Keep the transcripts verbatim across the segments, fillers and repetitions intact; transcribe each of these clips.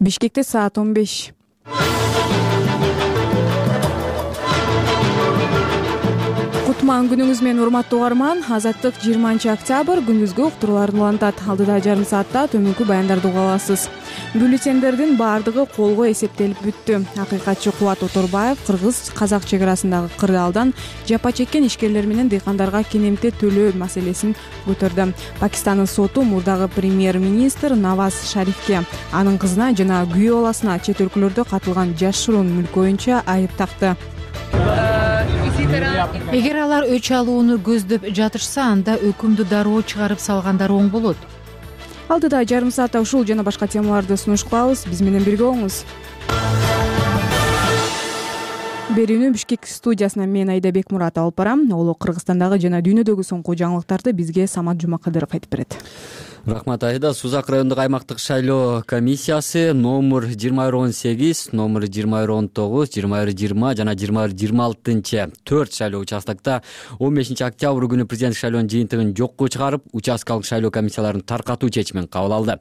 Бишкекте саат он беш. Кутман күнүңүз менен урматтуу угарман. Азаттык жыйырманчы октябрь күндүзгү уктурууларды улантат. Алдыда жарым саатта төмөнкү баяндарды уга аласыз. Бюллетендердин баардыгы колго эсептелип бүттү. Акыйкатчы Кубат Оторбаев кыргыз-казак чек арасындагы кырдаалдан жапа чеккен ишкерлер менен дыйкандарга кенемте төлөө маселесин көтөрдү. Пакистандын соту мурдагы премьер-министр Наваз Шарифке, анын кызына жана күйөө баласына чет өлкөлөрдө катылган жашыруун мүлк боюнча айып такты. Эгер алар өч алууну көздөп жатышса, анда өкүмдү дароо чыгарып салгандар оң болот. Алдыда жарым саатта ушул жана башка темаларды сунуш кылабыз. Биз менен бирге болуңуз. Берүүнү Бишкек студиясына мен Айда Бекмурат алып барам. Ол Кыргызстандагы жана дүйнөдөгү соңку жаңылыктарды бизге Самат Жумакадыров айтып берет. Рахмат Айда. Сузак райондук аймактык шайлоо комиссиясы номер жыйырма бир он сегиз, номер жыйырма бир он тогуз, жыйырма бир жыйырма жана жыйырма бир жыйырма алтынчы төрт шайлоо участокто он бешинчи октябрь күнү президенттик шайлоонун жыйынтыгын жокко чыгарып, участкалык шайлоо комиссияларын таркатуу чечимин кабыл алды.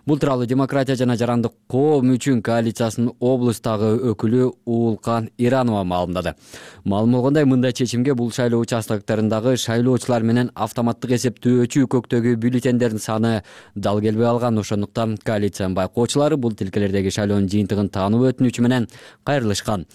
Бул тууралуу Демократия жана жарандык коом үчүн коалициясынын облустагы өкүлү Уулкан Иранова маалымдады. Маалым болгондой, мындай чечимге бул шайлоо участоктарындагы шайлоочулар менен автоматтык эсептөөчү көктөгү бюллетендердин саны дал келбей алган. Ошондуктан коалициянын байкоочулары бул тилкелердеги шайлоонун жыйынтыгын таануу өтүнүчү менен кайрылышкан.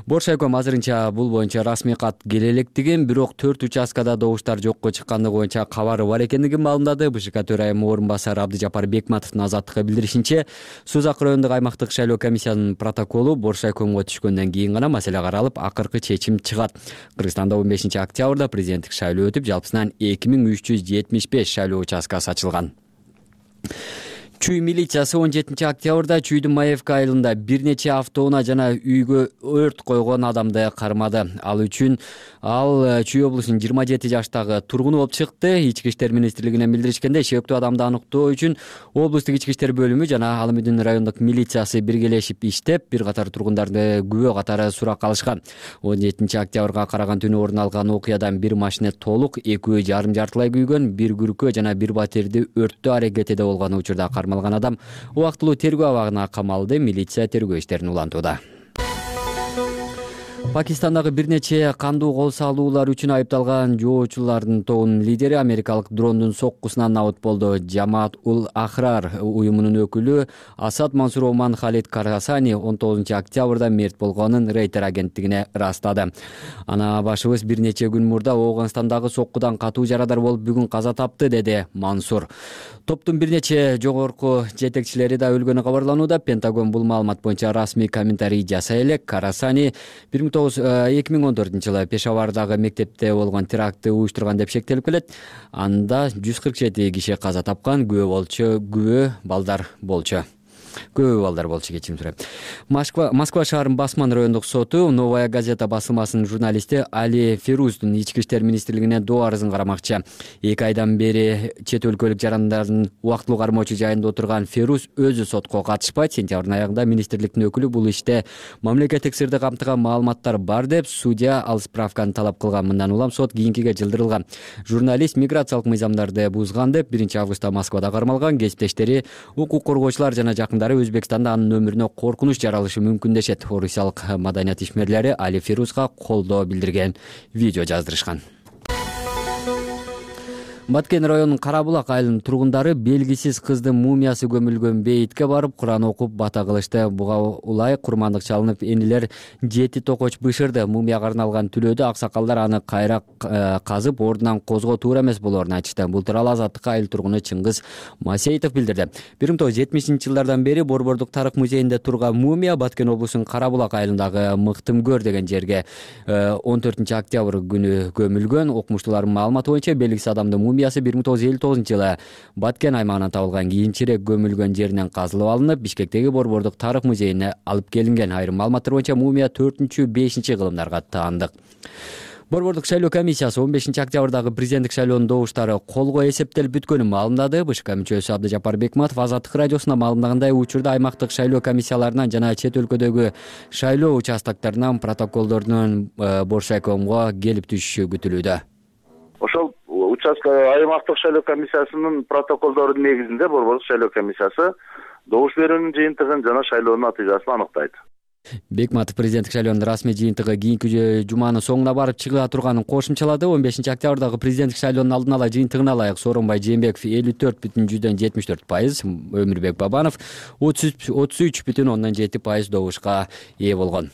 Боршайком азырынча бул боюнча расмий кат келе электигин, бирок төрт участкада добуштар жокко чыккандыгы боюнча кабары бар экендигин маалымдады. БШК төрайымы орун басары Абдыжапар Бекматовдун Азаттыкка билдиришинче, Сузак райондук аймактык шайлоо комиссиянын протоколу Боршайкомго түшкөндөн кийин гана маселе каралып, акыркы чечим чыгат. Кыргызстанда он бешинчи октябрда президенттик шайлоо өтүп, жалпысынан эки миң үч жүз жетимиш беш шайлоо участкасы ачылган. Чүй милициясы он жетинчи октябрда Чүйдүн Маевка айылында бир нече автоунаа жана үйгө өрт койгон адамды кармады. Ал үчүн ал Чүй облусунун жыйырма жети жаштагы тургуну болуп чыкты. Ички иштер министрлигине билдиришкенде, шектүү адамды аныктоо үчүн облустук ички иштер бөлүмү жана Алымүдүн райондук милициясы биргелешип иштеп, бир катар тургундарды күбө катары суракка алышкан. он жетинчи октябрга караган түнү орун алган окуядан бир машина толук, экөө жарым жартылай күйгөн, бир күркө жана бир батирди өрттөө аракетиде болгон учурда кармалган адам убактылуу тергөө абагына камалды. Милиция тергөө иштерин улантууда. Пакистандагы бир нече кандуу кол салуулар үчүн айыпталган жоочулардын тобунун лидери америкалык дрондун соккусунан набыт болду. Жамаат ул Ахрар уюмунун өкүлү Асад Мансур Оман Халид Карасани он тогузунчу октябрда мерт болгонун Рейтер агенттигине ырастады. Ана башыбыз бир нече күн мурда Ооганстандагы соккудан катуу жарадар болуп бүгүн каза тапты, деди Мансур. Топтун бир нече жогорку жетекчилери да өлгөнү кабарланууда. Пентагон бул маалымат боюнча расмий комментарий жасай элек. Карасани эки миң он төртүнчү жылы Пешавардагы мектепте болгон терактты уюштурган деп шектелип келет. Анда жүз кырк жети киши каза тапкан, күбө болчу, күбө балдар болчу. Көбү балдар болчу, кечирим сурайм. Москва Москва шаарынын Басман райондук соту Новая газета басылмасынын журналисти Али Фируздун ички иштер министрлигине доо арызын карамакчы. эки айдан бери чет өлкөлүк жарандардын убактылуу кармоочу жайында отурган Фируз өзү сотко катышпайт. Сентябрдын аягында министрликтин өкүлү бул иште мамлекеттик сырды камтыган маалыматтар бар деп судья ал справканы талап кылган. Мындан улам сот кийинкиге жылдырылган. Журналист миграциялык мыйзамдарды бузган деп биринчи августта Москвада кармалган. Кесиптештери, укук коргоочулар жана жакын Өзбекстанда анын өмүрүнө коркунуч жаралышы мүмкүн дешет. Орусиялык маданият ишмерлери Али Фирузга колдоо билдирген видео жаздырышкан. Баткен районунун Карабулак айылынын тургундары белгисиз кыздын мумиясы көмүлгөн бейитке барып, Куран окуп бата кылышты. Буга улай курмандык чалынып, энилер жети токоч бышырды. Мумияга арналган түлөөдө аксакалдар аны кайра казып, ордунан козгоо туура эмес болоорун айтышты. Бул тууралуу Азаттыкка айыл тургуну Чыңгыз Масеитов билдирди. бир миң тогуз жүз жетимишинчи жылдардан бери Борбордук тарых музейинде турган мумия Баткен облусунун Карабулак айылындагы Мыктымкөр деген жерге он төртүнчү октябрь күнү көмүлгөн. Окумуштуулардын маалыматы боюнча белгисиз адамдын мумиясы бир миң тогуз жүз элүү тогузунчу жылы Баткен аймагынан табылган, кийинчерээк көмүлгөн жеринен казылып алынып, Бишкектеги Борбордук тарых музейине алып келинген. Айрым маалыматтар боюнча мумия төртүнчү бешинчи кылымдарга таандык. Борбордук шайлоо комиссиясы он бешинчи октябрдагы президенттик шайлоонун добуштары колго эсептелип бүткөнүн маалымдады. БШК мүчөсү Абдыжапар Бекматов Азаттык радиосуна маалымдагандай, учурда аймактык шайлоо комиссияларынан жана чет өлкөдөгү шайлоо участоктарынан протоколдордун Боршайкомго келип түшүшү күтүлүүдө. Ошол участок аймактык шайлоо комиссиясынын протоколдорунун негизинде Борбордук шайлоо комиссиясы добуш берүүнүн жыйынтыгын жана шайлоонун натыйжасын аныктайт. Бекматов президенттик шайлоонун расмий жыйынтыгы кийинки жуманын соңуна барып чыга турганын кошумчалады. он бешинчи октябрдагы президенттик шайлоонун алдын ала жыйынтыгына ылайык Сооронбай Жээнбеков элүү төрт бүтүн жүздөн жетимиш төрт пайыз, Өмүрбек Бабанов отуз үч бүтүн ондон жети пайыз добушка ээ болгон.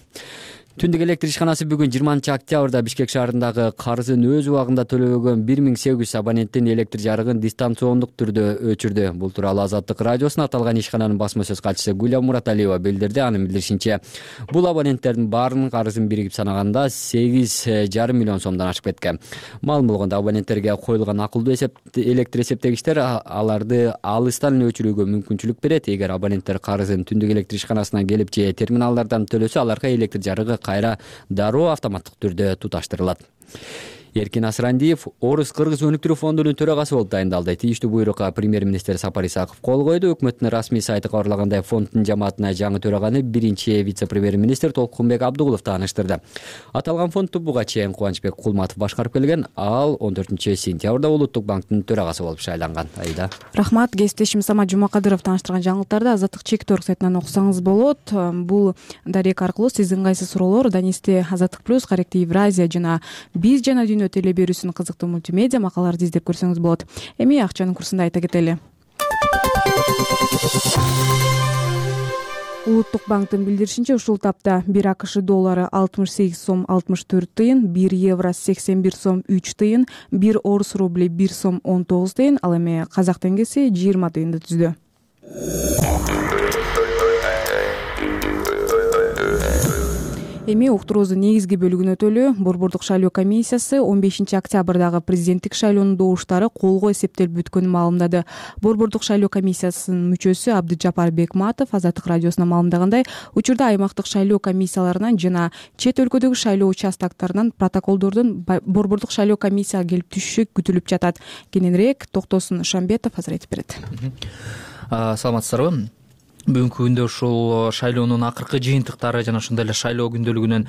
Түндүк электр ишканасы бүгүн жыйырманчы октябрда Бишкек шаарындагы карызын өз убагында төлөбөгөн бир миң сегиз жүз абоненттин электр жарыгын дистанциондук түрдө өчүрдү. Бул тууралуу Азаттык радиосуна аталган ишкананын басма сөз катчысы Гүлям Мураталиева билдирди. Анын билдиришинче, бул абоненттердин баарынын карызын биригип санаганда сегиз жарым миллион сомдон ашып кеткен. Маалым болгондой, абоненттерге коюлган акылдуу электр эсептегичтер аларды алыстан эле өчүрүүгө мүмкүнчүлүк берет. Эгер абоненттер карызын түндүк электр ишканасына келип же терминалдардан төлөсө, аларга электр жарыгы кайра дароо автоматтык түрдө туташтырылат. Эркин Асырандиев Орус-Кыргыз өнүктүрүү фондунун төрагасы болуп дайындалды. Тийиштүү буйрукка премьер-министр Сапар Исаков кол койду. Өкмөттүн расмий сайты кабарлагандай, фонддун жамаатына жаңы төраганы биринчи вице-премьер-министр Толкунбек Абдыгулов тааныштырды. Аталган фондду буга чейин Кубанычбек Кулматов башкарып келген. Ал он төртүнчү сентябрда Улуттук банктын төрагасы болуп шайланган. Айда. Рахмат. Кесиптешим Самат Жумакадыров тааныштырган жаңылыктарды Азаттык чектор сайтынан окусаңыз болот. Бул дарек аркылуу сиз ыңгайсыз суроолор, Данисте Азаттык плюс, Каректи Евразия жана Биз жана Дүйнө теле берүүсүнүн кызыктуу мультимедиа макалаларды издеп көрсөңүз болот. Эми акчанын курсун айта кетели. Улуттук банктын билдиришинче, ушул тапта бир АКШ доллары алтымыш сегиз сом алтымыш төрт тыйын, бир евро сексен бир сом үч тыйын, бир орус рубли бир сом он тогуз тыйын, ал эми казак теңгеси жыйырма тыйынды түздү. Эми уктуруубуздун негизги бөлүгүнө өтөлү. Борбордук шайлоо комиссиясы он бешинчи октябрдагы президенттик шайлоонун добуштары колго эсептелип бүткөнүн маалымдады. Борбордук шайлоо комиссиясынын мүчөсү Абдыжапар Бекматов Азаттык радиосуна маалымдагандай, учурда аймактык шайлоо комиссияларынан жана чет өлкөдөгү шайлоо участоктарынан протоколдордун борбордук шайлоо комиссияга келип түшүшү күтүлүп жатат. Кененирээк Токтосун Шамбетов азыр айтып берет. Саламатсыздарбы? Бүгүнкү күндө ушул шайлоонун акыркы жыйынтыктары жана ошондой эле шайлоо күндөлүгүнөн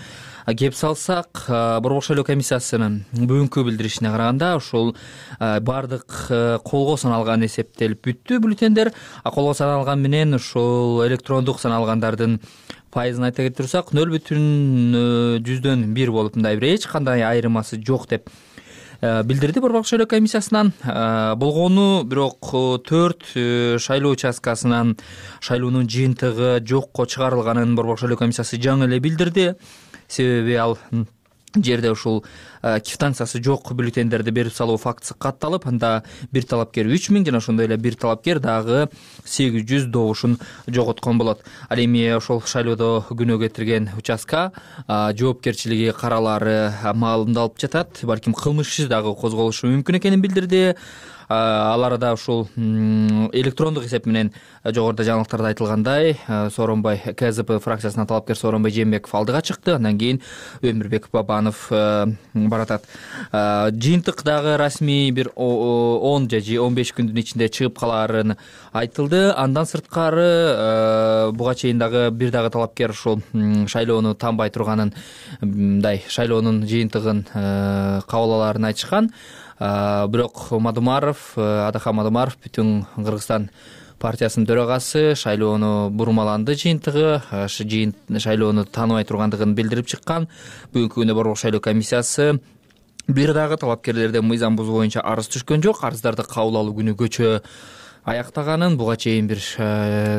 кеп салсак, борбордук шайлоо комиссиясынын бүгүнкү билдиришине караганда, ушул баардык колго саналган эсептелип бүттү бюллетендер. Колго саналган менен ушул электрондук саналгандардын пайызын айта кетирсак, нөл бүтүн жүздөн бир болуп, мындай бир эч кандай айырмасы жок деп билдирди борбордук шайлоо комиссиясынан. Болгону бирок төрт шайлоо участкасынан шайлоонун жыйынтыгы жокко чыгарылганын борбордук шайлоо комиссиясы жаңы эле билдирди. Себеби ал жерде ушул квитанциясы жок бюллетендерди берип салуу фактысы катталып, анда бир талапкер үч миң жана ошондой эле бир талапкер дагы сегиз жүз добушун жоготкон болот. Ал эми ошол шайлоодо күнөө кетирген участка жоопкерчилиги каралары маалымдалып жатат. Балким кылмыш иши дагы козголушу мүмкүн экенин билдирди. Аларда ушул электрондук эсеп менен жогоруда жаңылыктарда айтылгандай, Сооронбай КЗП фракциясынан талапкер Сооронбай Жээнбеков алдыга чыкты. Андан кийин Өмүрбек Бабанов баратат. Жыйынтык дагы расмий бир он же он беш күндүн ичинде чыгып калаарын айтылды. Андан сырткары буга чейин дагы бир дагы талапкер ушул шайлоону танбай турганын, мындай шайлоонун жыйынтыгын кабыл алаарын айтышкан. Бирок Мадумаров, Адахан Мадумаров, Бүтүн Кыргызстан партиясынын төрагасы шайлоону бурмаланды жыйынтыгы, шайлоону тааныбай тургандыгын билдирип чыккан. Бүгүнкү күндө борбордук шайлоо комиссиясы бир дагы талапкерлерден мыйзам бузуу боюнча арыз түшкөн жок. Арыздарды кабыл алуу күнү көчө аяктаганын, буга чейин бир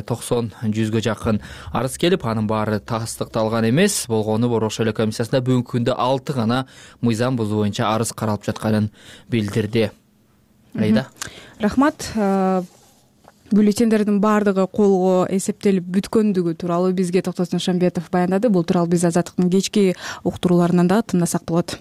токсон жүзгө жакын арыз келип, анын баары тастыкталган эмес. Болгону борбордук шайлоо комиссиясында бүгүнкү күндө алты гана мыйзам бузуу боюнча арыз каралып жатканын билдирди. Айда. Рахмат. Бюллетендердин баардыгы колго эсептелип бүткөндүгү тууралуу бизге Токтосун Шамбетов баяндады. Бул тууралуу биз Азаттыктын кечки уктурууларынан дагы тыңдасак болот.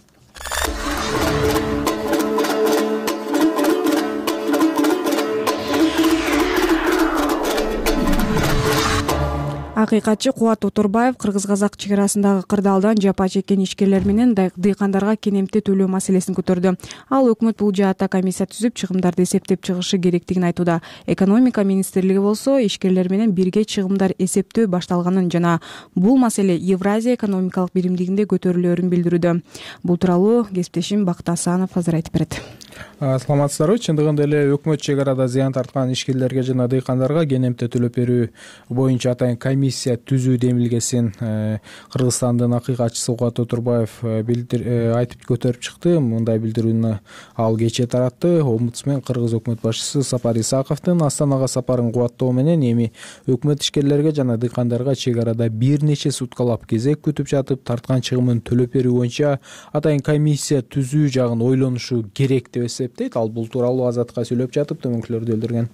Акыйкатчы Кубат Оторбаев кыргыз-казак чек арасындагы кырдаалдан жапа чеккен ишкерлер менен дыйкандарга кенемти төлөө маселесин көтөрдү. Ал өкмөт бул жаатта комиссия түзүп, чыгымдарды эсептеп чыгышы керектигин айтууда. Экономика министрлиги болсо ишкерлер менен бирге чыгымдар эсептөө башталганын жана бул маселе Евразия экономикалык биримдигинде көтөрүлөөрүн билдирүүдө. Бул тууралуу кесиптешим Бакыт Асанов азыр айтып берет. Саламатсыздарбы? Чындыгында эле өкмөт чек арада зыян тарткан ишкерлерге жана дыйкандарга кенемти төлөп берүү боюнча атайын комиссия түзүү демилгесин Кыргызстандын акыйкатчысы Кубат Оторбаев айтып көтөрүп чыкты. Мындай билдирүүнү ал кечээ таратты. Омбудсмен кыргыз өкмөт башчысы Сапар Исаковдун Астанага сапарын кубаттоо менен эми өкмөт ишкерлерге жана дыйкандарга чек арада бир нече суткалап кезек күтүп жатып тарткан чыгымын төлөп берүү боюнча атайын комиссия түзүү жагын ойлонушу керек деп эсептейт. Ал бул тууралуу Азатка сүйлөп жатып төмөнкүлөрдү билдирген.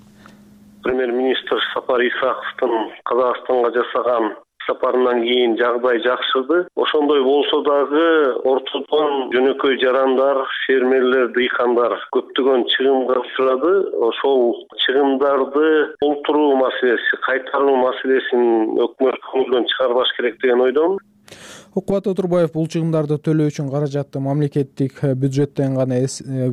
Премьер-министр Сапар Исаковдун Казакстанга жасаган сапарынан кийин жагдай жакшырды. Ошондой болсо дагы ортодон жөнөкөй жарандар, фермерлер, дыйкандар көптөгөн чыгымга учурады. Ошол чыгымдарды толтуруу маселеси, кайтаруу маселесин өкмөт көңүлдөн чыгарбаш керек деген ойдомун. Кубат Оторбаев бул чыгымдарды төлөө үчүн каражатты мамлекеттик бюджеттен гана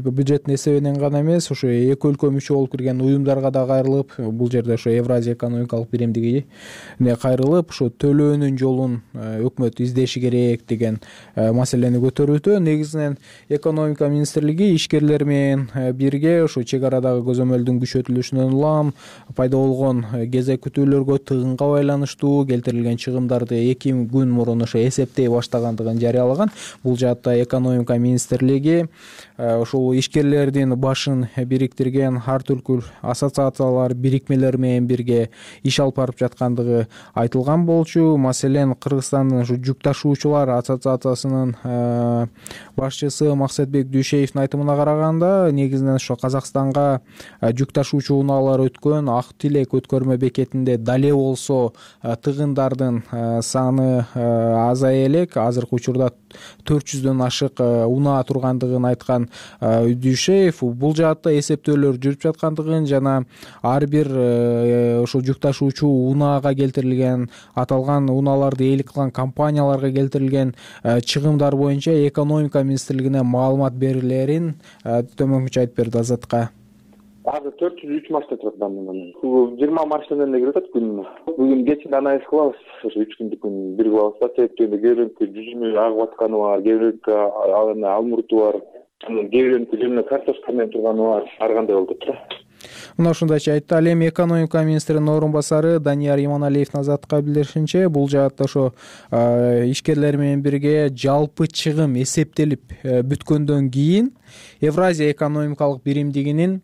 бюджеттин эсебинен гана эмес, ошо эки өлкө мүчө болуп кирген уюмдарга да кайрылып, бул жерде ошо Евразия экономикалык биримдигине кайрылып, ошо төлөөнүн жолун өкмөт издеши керек деген маселени көтөрүүдө. Негизинен экономика министрлиги ишкерлер менен бирге ошо чек арадагы көзөмөлдүн күчөтүлүшүнөн улам пайда болгон кезек күтүүлөргө тыгынга байланыштуу келтирилген чыгымдарды эки күн мурун ошо эсеп баштагандыгын жарыялаган. Бул жаатта экономика министрлиги ошол ишкерлердин башын бириктирген ар түркүл ассоциациялар, бирикмелер менен бирге иш алып барып жаткандыгы айтылган болчу. Маселен, Кыргызстандын ушу жүк ташуучулар ассоциациясынын башчысы Максатбек Дүйшеевдин айтымына караганда, негизинен ошо Казакстанга жүк ташуучу унаалар өткөн Ак Тилек өткөрмө бекетинде дале болсо тыгындардын саны азая элек. Азыркы учурда төрт жүздөн ашык унаа тургандыгын айткан Дүйшеев бул жаатта эсептөөлөр жүрүп жаткандыгын жана ар бир ошол жүк ташуучу унаага келтирилген, аталган унааларды ээлик кылган компанияларга келтирилген чыгымдар боюнча экономика министрлигине маалымат берилерин төмөнкүчө айтып берди Азатка. Азыр төрт жүз үч машина турат бамынан. жыйырма машинадан эле кирет күнүнө. Бүгүн кечинде анализ кылабыз, ошо үч күндүк күн бир кылабыз. Себептен кээ бирөөнүкү жүзүнө агып атканы бар, кээ бирөөнүкү алмурту бар, кээ бирөөнүкү жөнүнө картошка менен турганы бар. Ар кандай болуп турат. Мына ушундайча айтты. Ал эми экономика министринин орун басары Данияр Иманалиевдин Азатка билдиришинче, бул жаатта ошо ишкерлер менен бирге жалпы чыгым эсептелип бүткөндөн кийин Евразия экономикалык биримдигинин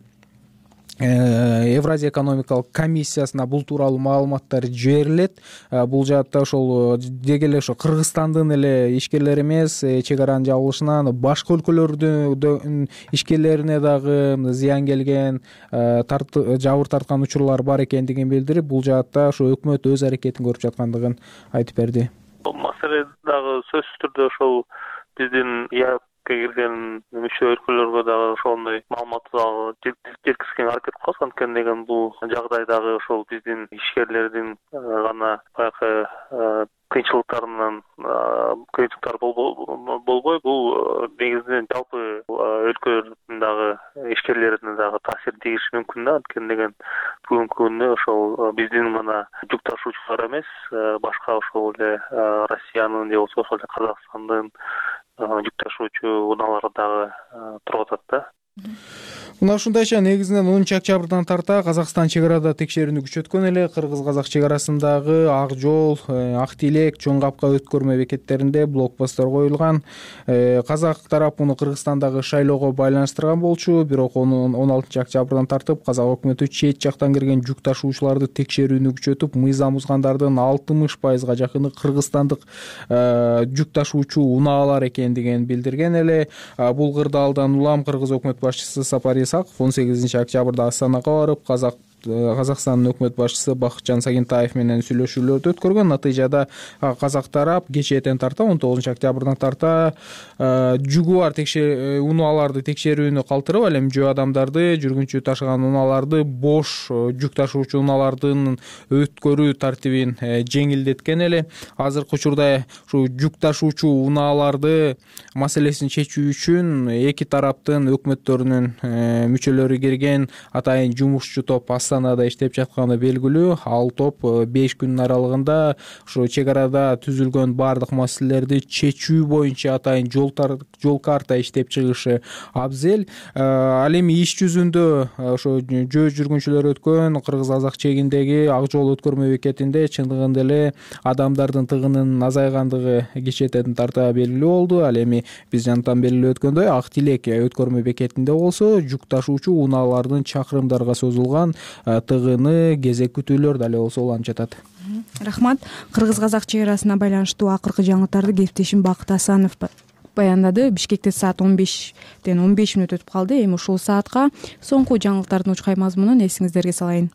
Евразия экономикалык комиссиясына бул тууралуу маалыматтар жиберилет. Бул жаатта ошол деги эле ошо Кыргызстандын эле ишкерлери эмес, чек аранын жабылышынан башка өлкөлөрдүн ишкерлерине дагы зыян келген, жабыр тарткан учурлар бар экендигин билдирип, бул жаатта ошо өкмөт өз аракетин көрүп жаткандыгын айтып берди. Бул маселе дагы сөзсүз түрдө ошол биздин кирген мүчө өлкөлөргө дагы ошондой маалыматты жеткизишке аракет кылабыз. Анткени деген бул жагдайдагы ошол биздин ишкерлердин гана баягы кыйынчылыктарынан кыйынчылыктар болбой, бул негизинен жалпы өлкөлөрдүн дагы ишкерлерине дагы таасирин тийгизиши мүмкүн да. Анткени деген бүгүнкү күндө ошол биздин гана жүк ташуучулар эмес, башка ошол эле Россиянын же болбосо ошол эле Казакстандын жүк ташуучу унаалары дагы туруп атат да. Мына ушундайча негизинен онунчу октябрдан тарта Казакстан чек арада текшерүүнү күчөткөн эле. Кыргыз-казак чек арасындагы Ак жол, Ак Тилек, Чоң Капка өткөрмө бекеттеринде блокпосттор коюлган. Казак тарап муну Кыргызстандагы шайлоого байланыштырган болчу, бирок он алтынчы октябрдан тартып казак өкмөтү чет жактан кирген жүк ташуучуларды текшерүүнү күчөтүп, мыйзам бузгандардын алтымыш пайызга жакыны кыргызстандык жүк ташуучу унаалар экендигин билдирген эле. Бул кырдаалдан улам кыргыз өкмөт башчысы Сапар Исаков он сегизинчи октябрда Астанага барып, казак Казакстандын өкмөт башчысы Бакытжан Сагентаев менен сүйлөшүүлөрдү өткөргөн. Натыйжада казак тарап кечээден тарта он тогузунчу октябрдан тарта жүгү бар унааларды текшерүүнү калтырып, ал эми жөө адамдарды, жүргүнчү ташыган унааларды, бош жүк ташуучу унаалардын өткөрүү тартибин жеңилдеткен эле. Азыркы учурда ушу жүк ташуучу унааларды маселесин чечүү үчүн эки тараптын өкмөттөрүнүн мүчөлөрү кирген атайын жумушчу топ Астанада иштеп жатканы белгилүү. Ал топ беш күнүн аралыгында ушу чек арада түзүлгөн баардык маселелерди чечүү боюнча атайын жол жол карта иштеп чыгышы абзел. Ал эми иш жүзүндө ошо жөө жүргүнчүлөр өткөн кыргыз-казак чегиндеги Ак жол өткөрмө бекетинде чындыгында эле адамдардын тыгынынын азайгандыгы кечээден тарта белгилүү болду. Ал эми биз жанатан белгилеп өткөндөй Ак Тилек өткөрмө бекетинде болсо жүк ташуучу унаалардын чакырымдарга созулган тыгыны, кезек күтүүлөр дале болсо уланып жатат. Рахмат. Кыргыз-казак чек арасына байланыштуу акыркы жаңылыктарды кесиптешим Бакыт Асанов баяндады. Бишкекте саат он бештен он беш мүнөт өтүп калды. Эми ушул саатка соңку жаңылыктардын учкай мазмунун эсиңиздерге салайын.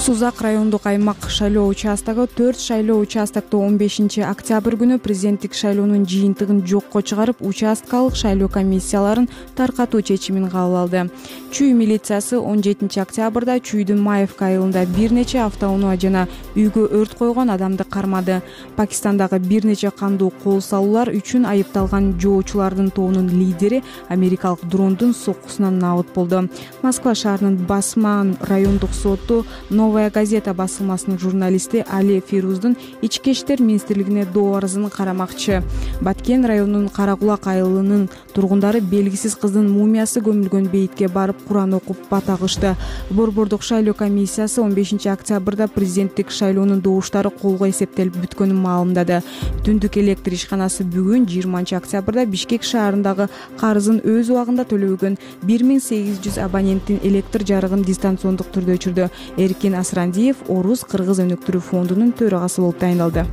Сузак райондук аймак шайлоо участогу төрт шайлоо участокту он бешинчи октябрь күнү президенттик шайлоонун жыйынтыгын жокко чыгарып, участкалык шайлоо комиссияларын таркатуу чечимин кабыл алды. Чүй милициясы он жетинчи октябрда Чүйдүн Маевка айылында бир нече автоунаа жана үйгө өрт койгон адамды кармады. Пакистандагы бир нече кандуу кол салуулар үчүн айыпталган жоочулардын тобунун лидери америкалык дрондун соккусунан набыт болду. Москва шаарынын Басман райондук соту Новая газета басылмасынын журналисти Али Фируздун ички иштер министрлигине доо арызын карамакчы. Баткен районунун Каракулак айылынын тургундары белгисиз кыздын мумиясы көмүлгөн бейитке барып Куран окуп бата кылышты. Борбордук шайлоо комиссиясы он бешинчи октябрда президенттик шайлоонун добуштары колго эсептелип бүткөнүн маалымдады. Түндүк электр ишканасы бүгүн жыйырманчы октябрда Бишкек шаарындагы карызын өз убагында төлөбөгөн бир миң сегиз жүз абоненттин электр жарыгын дистанциондук түрдө өчүрдү. Эркин Асрандиев Орус Кыргыз өнүктүрүү фондунун төрагасы болуп тайындалды.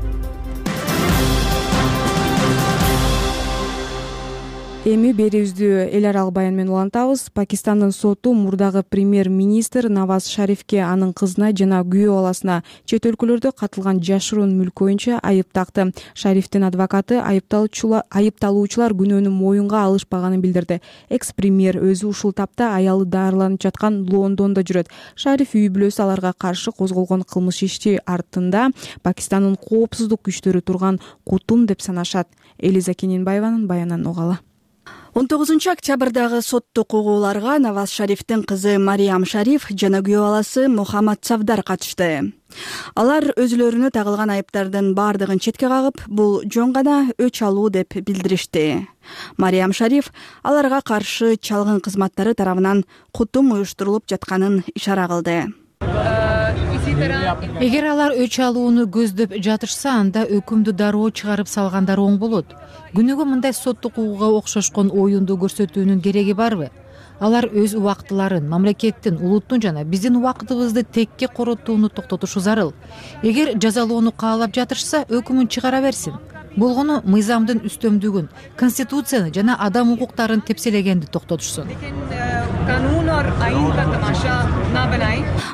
Эми берүүбүздү эл аралык баян менен улантабыз. Пакистандын соту мурдагы премьер-министр Наваз Шарифке, анын кызына жана күйөө баласына чет өлкөлөрдө катылган жашыруун мүлк боюнча айып такты. Шарифтин адвокаты айыпталуучулар күнөөнү моюнга алышпаганын билдирди. Экс-премьер өзү ушул тапта аялы дарыланып жаткан Лондондо жүрөт. Шариф үй бүлөсү аларга каршы козголгон кылмыш иши артында Пакистандын коопсуздук күчтөрү турган кутум деп санашат. Элиза Кененбаеванын баянынан угалы. он тогузунчу октябрдагы соттук угууларга Наваз Шарифтин кызы Мариям Шариф жана күйөө баласы Мухаммад Савдар катышты. Алар өзүлөрүнө тагылган айыптардын баардыгын четке кагып, бул жөн гана өч алуу деп билдиришти. Мариям Шариф аларга каршы чалгын кызматтары тарабынан кутум уюштурулуп жатканын ишара кылды. Эгер алар өч алууну көздөп жатышса, анда өкүмдү дароо чыгарып салгандар оң болот. Күнүгө мындай соттук угууга окшошкон оюнду көрсөтүүнүн кереги барбы? Алар өз убактыларын, мамлекеттин, улуттун жана биздин убактыбызды текке коротууну токтотушу зарыл. Эгер жазалоону каалап жатышса, өкүмүн чыгара берсин. Болгону мыйзамдын үстөмдүгүн, конституцияны жана адам укуктарын тепселегенди токтотушсун.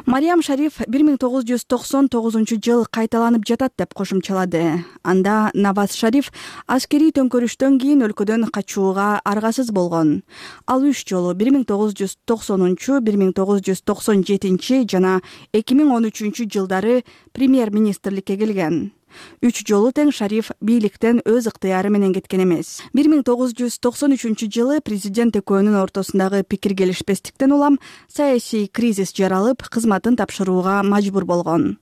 Мариям Шариф бир миң тогуз жүз токсон тогузунчу жыл кайталанып жатат деп кошумчалады. Анда Наваз Шариф аскерий төңкөрүштөн кийин өлкөдөн качууга аргасыз болгон. Ал үч жолу бир миң тогуз жүз токсонунчу, бир миң тогуз жүз токсон жетинчи жана эки миң он үчүнчү жылдары премьер-министрликке келген. Үч жолу тең Шариф бийликтен өз ыктыяры менен кеткен эмес. бир миң тогуз жүз токсон үчүнчү жылы президент экөөнүн ортосундагы пикир келишпестиктен улам саясий кризис жаралып, кызматын тапшырууга мажбур болгон.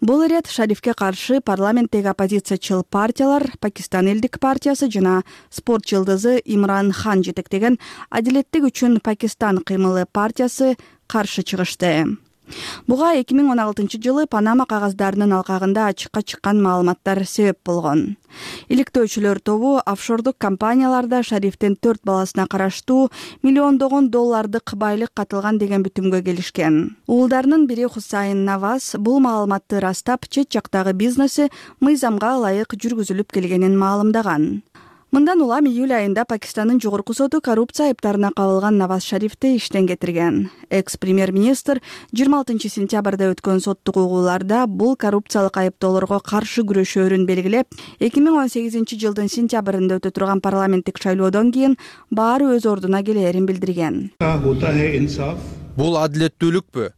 Бул ирет Шарифке каршы парламенттеги оппозициячыл партиялар, Пакистан элдик партиясы жана спорт жылдызы Имран Хан жетектеген Адилеттик үчүн Пакистан кыймылы партиясы каршы чыгышты. Буга эки миң он алтынчы жылы Панама кагаздарынын алкагында ачыкка чыккан маалыматтар себеп болгон. Иликтөөчүлөр тобу офшордук компанияларда Шарифтин төрт баласына караштуу миллиондогон доллардык байлык катылган деген бүтүмгө келишкен. Уулдарынын бири Хусайн Наваз бул маалыматты растап, чет жактагы бизнеси мыйзамга ылайык жүргүзүлүп келгенин маалымдаган. Мындан улам июль айында Пакистандын жогорку соту коррупция айыптарына кабылган Наваз Шарифти иштен кетирген. Экс-премьер-министр жыйырма алтынчы сентябрда өткөн соттук угууларда бул коррупциялык айыптоолорго каршы күрөшөөрүн белгилеп, эки миң он сегизинчи жылдын сентябрында өтө турган парламенттик шайлоодон кийин баары өз ордуна келээрин билдирген. Бул адилеттүүлүкпү?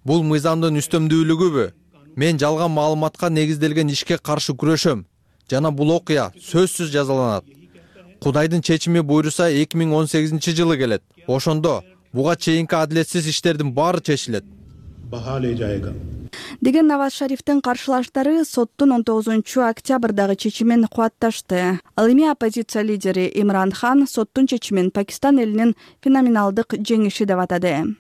Бул мыйзамдын үстөмдүүлүгүбү? Мен жалган маалыматка негизделген ишке каршы күрөшөм жана бул окуя сөзсүз жазаланат. Кудайдын чечими буйруса эки миң он сегизинчи жылы келет. Ошондо буга чейинки адилетсиз иштердин баары чечилет деген Наваз Шарифтин каршылаштары соттун он тогузунчу октябрдагы чечимин кубатташты. Ал эми оппозиция лидери Имран Хан соттун чечимин Пакистан элинин феноменалдык жеңиши деп атады.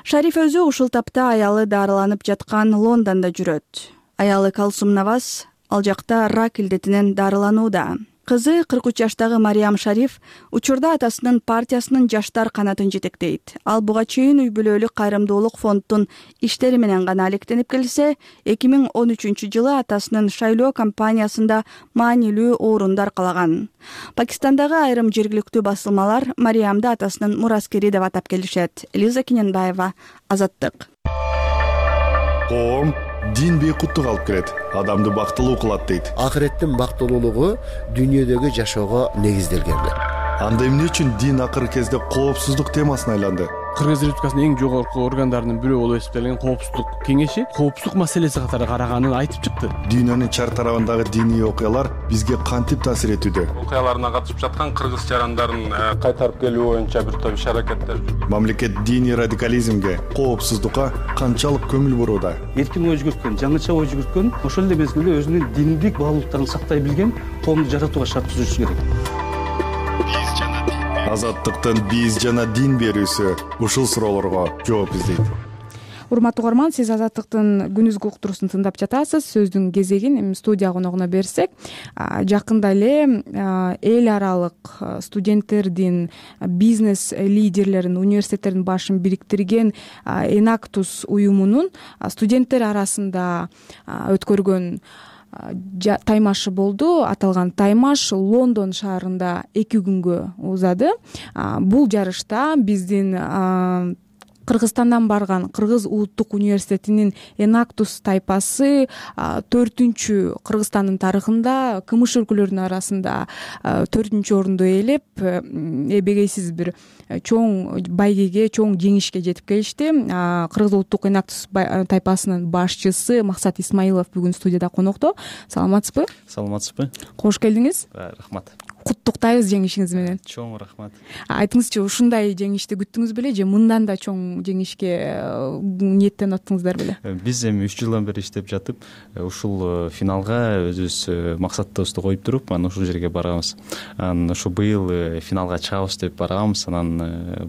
Шариф өзү ушул тапта аялы дарыланып жаткан Лондондо жүрөт. Аялы Калсум Наваз ал жакта рак илдетинен дарыланууда. Кызы кырк үч жаштагы Мариям Шариф учурда атасынын партиясынын жаштар канатын жетектейт. Ал буга чейин үй бүлөлүк кайрымдуулук фонддун иштери менен гана алектенип келсе, эки миң он үчүнчү жылы атасынын шайлоо кампаниясында маанилүү орунду аркалаган. Пакистандагы айрым жергиликтүү басылмалар Мариямды атасынын мураскери деп атап келишет. Лиза Кененбаева, Азаттык. Коом дин бейкуттук алып келет, адамды бактылуу кылат дейт. Акыреттин бактылуулугу дүйнөдөгү жашоого негизделген. Анда эмне үчүн дин акыркы кезде коопсуздук темасына айланды? Кыргыз Республикасынын эң жогорку органдарынын бирөө болуп эсептелген коопсуздук кеңеши коопсуздук маселеси катары караганын айтып чыкты. Дүйнөнүн чар тарабындагы диний окуялар бизге кантип таасир этүүдө? Окуяларына катышып жаткан кыргыз жарандарын кайтарып келүү боюнча бир топ иш-аракеттер. Мамлекет диний радикализмге, коопсуздукка канчалык көңүл бурууда? Эркин ой жүгүрткөн, жаңыча ой жүгүрткөн, ошол эле мезгилде өзүнүн диндик баалуулуктарын сактай билген коомду жаратууга шарт түзүшү керек. Азаттыктын биз жана дин берүүсү ушул суроолорго жооп издейт. Урматтуу угарман, сиз Азаттыктын күнүзгү уктуруусун тыңдап жатасыз. Сөздүн кезегин эми студия коногуна берсек, жакында эле эл аралык студенттердин, бизнес лидерлерин, университеттердин башын бириктирген Enactus уюмунун студенттер арасында өткөргөн таймашы болду. Аталган таймаш Лондон шаарында эки күнгө узады. Бул жарышта биздин Кыргызстандан барган Кыргыз улуттук университетинин Enactus тайпасы төртүнчү Кыргызстандын тарыхында кмш өлкөлөрүнүн арасында төртүнчү орунду ээлеп, эбегейсиз бир чоң байгеге, чоң жеңишке жетип келишти. Кыргыз улуттук Enactus тайпасынын башчысы Максат Исмаилов бүгүн студияда конокто. Саламатсызбы? Саламатсызбы. Кош келдиңиз. Рахмат. Куттуктайбыз жеңишиңиз менен. Чоң рахмат. Айтыңызчы, ушундай жеңишти күттүңүз беле же мындан да чоң жеңишке ниеттенип аттыңыздар беле? Биз эми үч жылдан бери иштеп жатып, ушул финалга өзүбүз максатыбызды коюп туруп, анан ушул жерге барабыз. Анан ушу быйыл финалга чыгабыз деп барганбыз. Анан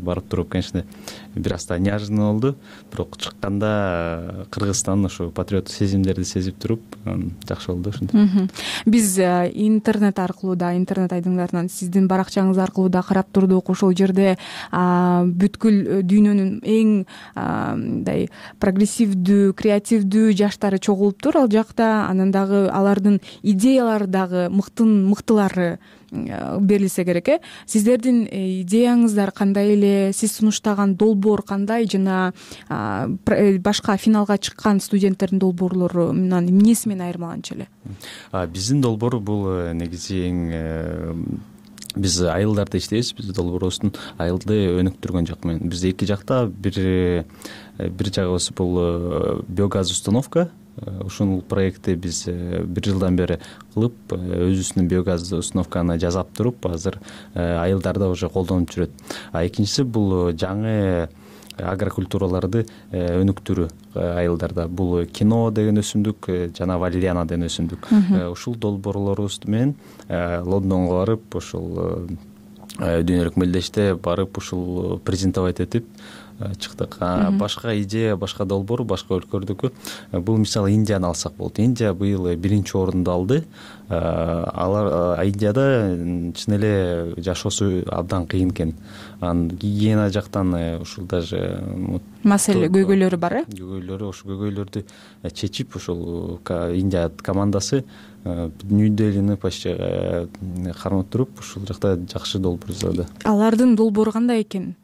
барып туруп, конечно, бир аз да неожиданно болду. Бирок чыкканда Кыргызстандын ушу патриоттук сезимдерди сезип туруп, жакшы болду ушинтип. Биз интернет аркылуу да, интернет айдыңдарынан сиздин баракчаңыз аркылуу да карап турдук. Ошол жерде бүткүл дүйнөнүн эң мындай прогрессивдүү, креативдүү жаштары чогулуптур ал жакта. Анан дагы алардын идеялары дагы мыктын мыктылары берилсе керек. э Сиздердин идеяңыздар кандай эле, сиз сунуштаган долбоор кандай, жана башка финалга чыккан студенттердин долбоорлору эмнеси менен айырмаланчу эле? Биздин долбоор бул негизи эң биз айылдарда иштейбиз. Биздин долбоорубуздун айылды өнүктүргөн жак менен. Биз эки жакта бир бир жагыбыз бул биогаз установка. Ушул проектти биз бир жылдан бери кылып, өзүбүздүн биогаз установканы жасап туруп, азыр айылдарда уже колдонуп жүрөт. А экинчиси бул жаңы агрокультураларды өнүктүрүү айылдарда. Бул кино деген өсүмдүк жана валериана деген өсүмдүк. Ушул долбоорлорубуз менен Лондонго барып, ушул дүйнөлүк мелдеште барып, ушул презентовать этип, чыктык. Башка идея, башка долбоор башка өлкөлөрдүкү. Бул мисалы Индияны алсак болот. Индия быйыл биринчи орунду алды. Алар Индияда чын эле жашоосу абдан кыйын экен. Анан гигиена жактан ушул даже маселе көйгөйлөрү бар э? Көйгөйлөрү, ошол көйгөйлөрдү чечип ошол Индия командасы Нью-Делини почти кармап туруп ушул жакта жакшы долбоор жасады. Алардын долбоору кандай экен?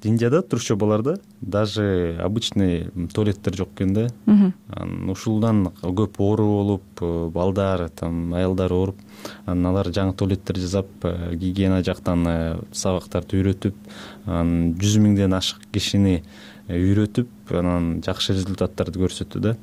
Индияда турчобаларда даже обычный туалеттер жок экен да. Анан ушулдан көп оору болуп, балдар, там аялдар ооруп, анан алар жаңы туалеттер жасап, гигиена жактан сабактарды үйрөтүп, анан жүз миңден ашык кишини үйрөтүп, анан жакшы результаттарды көрсөттү да.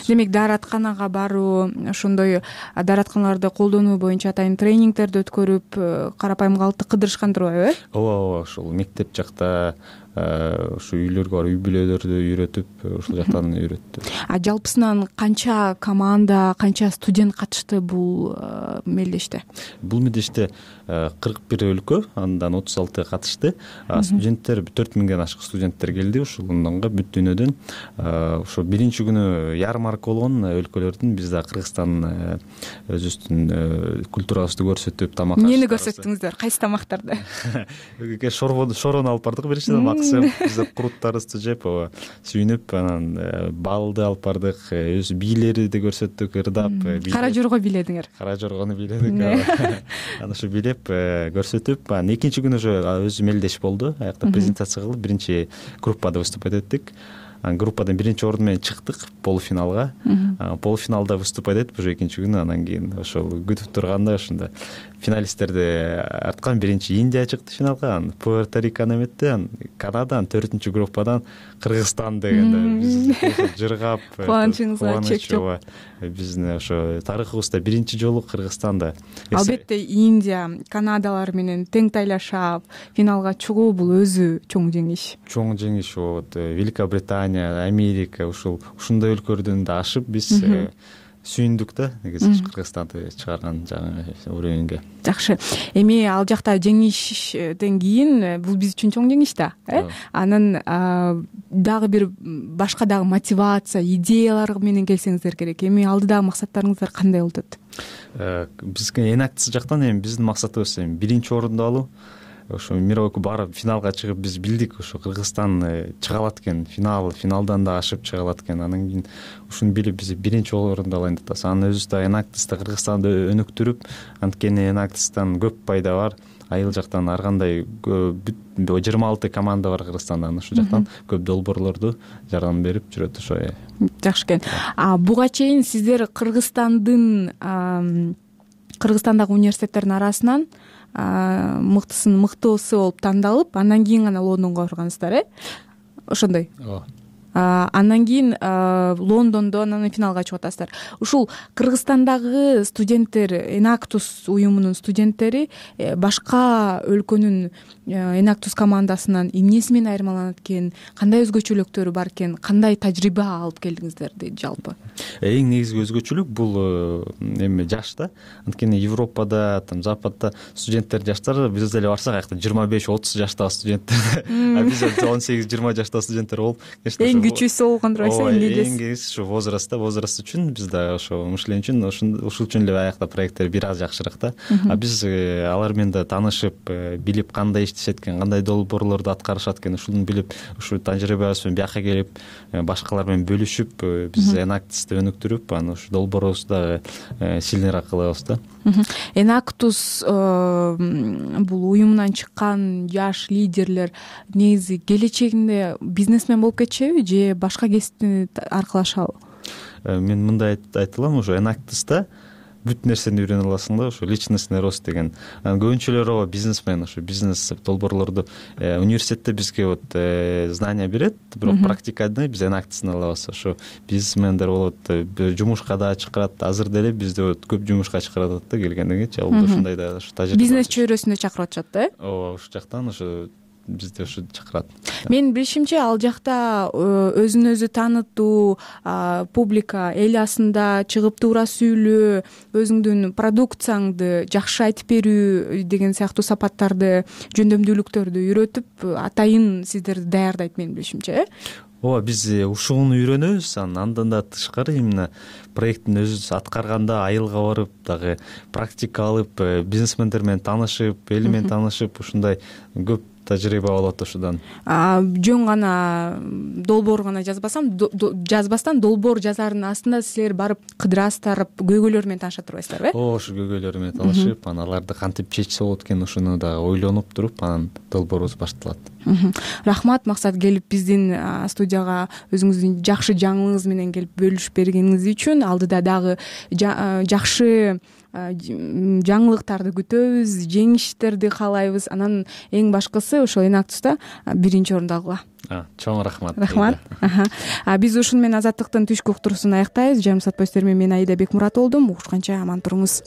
Демек дааратканага баруу, ошондой дааратканаларды колдонуу боюнча атайын тренингдерди өткөрүп, карапайым калкты кыдырышкан турбайбы э? Ооба, ооба, ошол мектеп жакта ушу үйлөргө барып үй бүлөлөрдү үйрөтүп, ушул жактан үйрөттү. А жалпысынан канча команда, канча студент катышты бул мелдеште? Бул мелдеште кырк бир өлкө, андан отуз алты катышты. Студенттер төрт миңден ашык студенттер келди ушулунга бүт дүйнөдөн. Ошо биринчи күнү ярмарка болгон өлкөлөрдүн, биз да Кыргызстан өзүбүздүн культурабызды көрсөтүп, тамак ашып. Эмнени көрсөттүңүздөр? Кайсы тамактарды? Шорону алып бардык биринчиден, максым биз круттарыбызды жеп, сүйүнүп, анан балды алып бардык, өз бийлерди көрсөттүк, ырдап. Кара жорго бийледиңер? Кара жоргону бийледик. Анан ушу билеп көрсөтүп, анан экинчи күнү уже өзү мелдеш болду. Аякта презентация кылып, биринчи группада выступать эттик. Анан группадан биринчи орун менен чыктык полуфиналга. Полуфиналда выступать этип, уже экинчи күнү анан кийин ошол күтүп турганда ошондо финалисттерди арткан биринчи Индия чыкты финалга, анан Пуэрто-Риканы эметти, анан Канадан, төртүнчү группадан Кыргызстан дегенде биз жыргап, кубанычыңызга чек жок. Биздин ошо тарыхыбызда биринчи жолу Кыргызстанда. Албетте Индия, Канадалар менен тең тайлашап финалга чыгуу бул өзү чоң жеңиш. Чоң жеңиш. Вот Великобритания, Америка, ушул ушундай өлкөлөрдөн да ашып биз сүйүндүк да, негизи Кыргызстанды чыгарган жаңы уровеньге. Жакшы. Эми ал жакта жеңиштен кийин бул биз үчүн чоң жеңиш да, э? Анан дагы бир башка дагы мотивация, идеялар менен келсеңиздер керек. Эми алдыдагы максаттарыңыздар кандай болот? Бизге Enactus жактан эми биздин максатыбыз эми биринчи орунду алуу. Ошо мировой барып финалга чыгып биз билдик, ошо Кыргызстан чыга алат экен, финал, финалдан да ашып чыга алат экен. Анан кийин ушуну билип биз биринчи орунду алайын деп атабыз. Анан өзүбүз да Enactus'та Кыргызстанды өнүктүрүп, анткени Enactus'тан көп пайда бар. Айыл жактан ар кандай жыйырма алты команда бар Кыргызстанда, ошол жактан көп долбоорлорду жардам берип жүрөт ошо. Жакшы экен. А буга чейин сиздер Кыргызстандын Кыргызстандагы университеттердин арасынан мыктысын мыктуусу болуп тандалып, андан кийин гана Лондонго баргансыздар, э? Ошондой. Ооба. Андан кийин Лондондо анан финалга чыгып атасыздар. Ушул Кыргызстандагы студенттер, Enactus уюмунун студенттери башка өлкөнүн Enactus командасынан эмнеси менен айырмаланат экен, кандай өзгөчөлүктөрү бар экен, кандай тажрыйба алып келдиңиздер дейт жалпы? Эң негизги өзгөчөлүк бул эми жаш да. Анткени Европада, там Западда студенттер жаштар, биз деле барсак, аякта жыйырма беш отуз жаштагы студенттер, а биз он сегиз жыйырма жаштагы студенттер болуп, эң күчүүсү болгондур айса, эмне эң кез ушу возрастта, возраст үчүн биз да ошо мышлен үчүн ушул үчүн эле аякта проекттер бир аз жакшыраак да. А биз алар менен да таанышып, билип кандай иштешет экен, кандай долбоорлорду аткарышат экен, ушуну билип, ушу тажрыйбабыз менен бияка келип, башкалар менен бөлүшүп, биз Enactus'ты өнүктүрүп, анан ушу долбоорубузду дагы сильныйраак кылабыз да. Enactus бул уюмунан чыккан жаш лидерлер негизи келечегинде бизнесмен болуп кетишеби же башка кесипти аркылашабы? Мен мындай айта алам, ошо Enactus'та бүт нерсени үйрөнө аласың да, ошо личностный рост деген. Анан көбүнчөлөр ооба бизнесмен, ошо бизнес долбоорлорду университетте бизге вот знания берет, бирок практикада биз Enactus'ны алабыз. Ошо бизнесмендер болот, жумушка да чакырат. Азыр деле бизде вот көп жумушка чакырат да келгенден кийинчи, ал ушундай да ошо тажрыйба. Бизнес чөйрөсүндө чакырып атышат да, э? Ооба, ушул жактан ошо бизди ушу чакырат. Менин билишимче ал жакта өзүн өзү таанытуу, публика эл асында чыгып туура сүйлөө, өзүңдүн продукцияңды жакшы айтып берүү деген сыяктуу сапаттарды, жөндөмдүүлүктөрдү үйрөтүп атайын сиздерди даярдайт менин билишимче. ооба, биз ушуну үйрөнөбүз. Андан да тышкары именно проекттин өзү аткарганда айылга барып дагы практика алып, бизнесмендер менен таанышып, эли менен таанышып, ушундай көп тажрыйба болот ошодон. Жөн гана долбоор гана жазбасам, жазбастан долбоор жазаардын астында силер барып кыдырасыздар, көйгөйлөр менен таанышат турбайсыздарбы? Ооба, ушу көйгөйлөр менен таанышып, анан аларды кантип чечсе болот экен ушуну дагы ойлонуп туруп, анан долбоорубуз башталат. Рахмат Максат, келип биздин студияга өзүңүздүн жакшы жаңылыгыңыз менен келип бөлүшүп бергениңиз үчүн. Алдыда дагы жакшы жаңылыктарды күтөбүз, жеңиштерди каалайбыз. Анан эң башкысы ошол Энактуста биринчи орунду алгыла. Чоң рахмат. Рахмат. Биз ушуну менен Азаттыктын түшкү уктуруусун аяктайбыз. Жарым саат боюнча мен Аида Бекмурат болдум. Угушканча аман туруңуз.